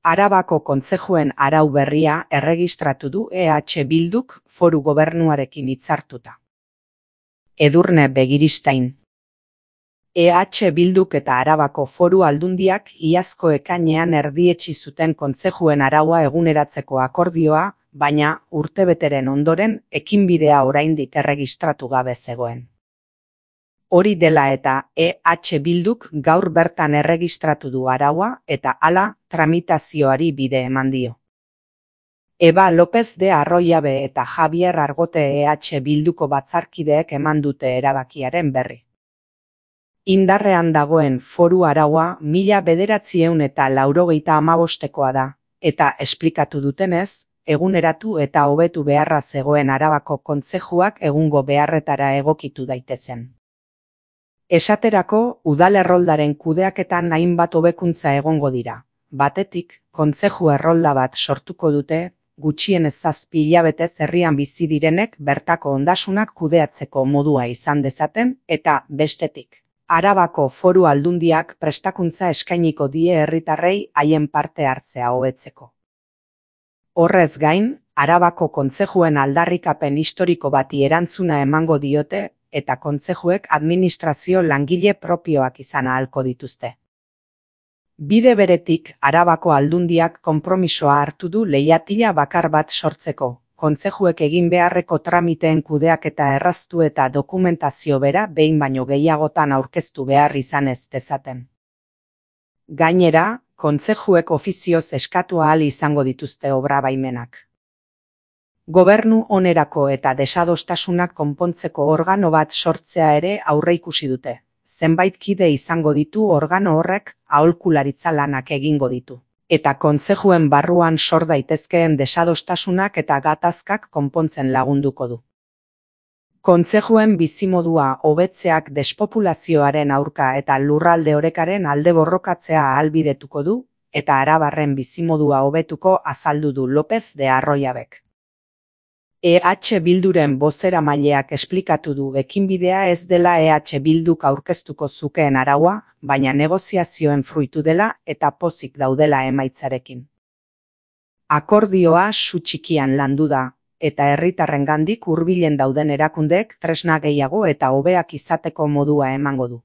Arabako kontzejuen arau berria erregistratu du EH Bilduk Foru Gobernuarekin hitzartuta. Edurne Begiristain. EH Bilduk eta Arabako Foru Aldundiak iazko ekainean erdietsi zuten kontzejuen araua eguneratzeko akordioa, baina urtebeteren ondoren ekinbidea oraindik erregistratu gabe zegoen. Hori dela eta EH Bilduk gaur bertan erregistratu du araua eta hala tramitazioari bide eman dio. Eba López de Arroyabe eta Javier Argote EH Bilduko batzarkideek eman dute erabakiaren berri. Indarrean dagoen foru araua 1985koa da, eta esplikatu dutenez, eguneratu eta hobetu beharra zegoen Arabako kontzejuak egungo beharretara egokitu daitezen. Esaterako, udal erroldaren kudeaketan hainbat hobekuntza egongo dira. Batetik, kontzeju errolda bat sortuko dute, gutxienez 7 hilabetez herrian bizi direnek bertako ondasunak kudeatzeko modua izan dezaten, eta bestetik, Arabako Foru Aldundiak prestakuntza eskainiko die herritarrei haien parte hartzea hobetzeko. Horrez gain, Arabako kontzejuen aldarrikapen historiko bati erantzuna emango diote, eta kontzejuek administrazio langile propioak izan ahalko dituzte. Bide beretik, Arabako Aldundiak konpromisoa hartu du leihatila bakar bat sortzeko, kontzejuek egin beharreko tramiteen kudeaketa erraztu eta dokumentazio bera behin baino gehiagotan aurkeztu behar izan ez dezaten. Gainera, kontzejuek ofizioz eskatu ahal izango dituzte obra baimenak. Gobernu onerako eta desadostasunak konpontzeko organo bat sortzea ere aurreikusi dute. Zenbait kide izango ditu organo horrek aholkularitza lanak egingo ditu. Eta kontzejuen barruan sor daitezkeen desadostasunak eta gatazkak konpontzen lagunduko du. Kontzejuen bizimodua hobetzeak despopulazioaren aurka eta lurralde orekaren alde borrokatzea ahalbidetuko du, eta arabarren bizimodua hobetuko azaldu du López de Arroyabek. EH Bilduren bozeramaileak esplikatu du ekinbidea ez dela EH Bilduk aurkeztuko zukeen araua, baina negoziazioen fruitu dela eta pozik daudela emaitzarekin. Akordioa su txikian landu da, eta herritarrengandik hurbilen dauden erakundeek tresna gehiago eta hobeak izateko modua emango du.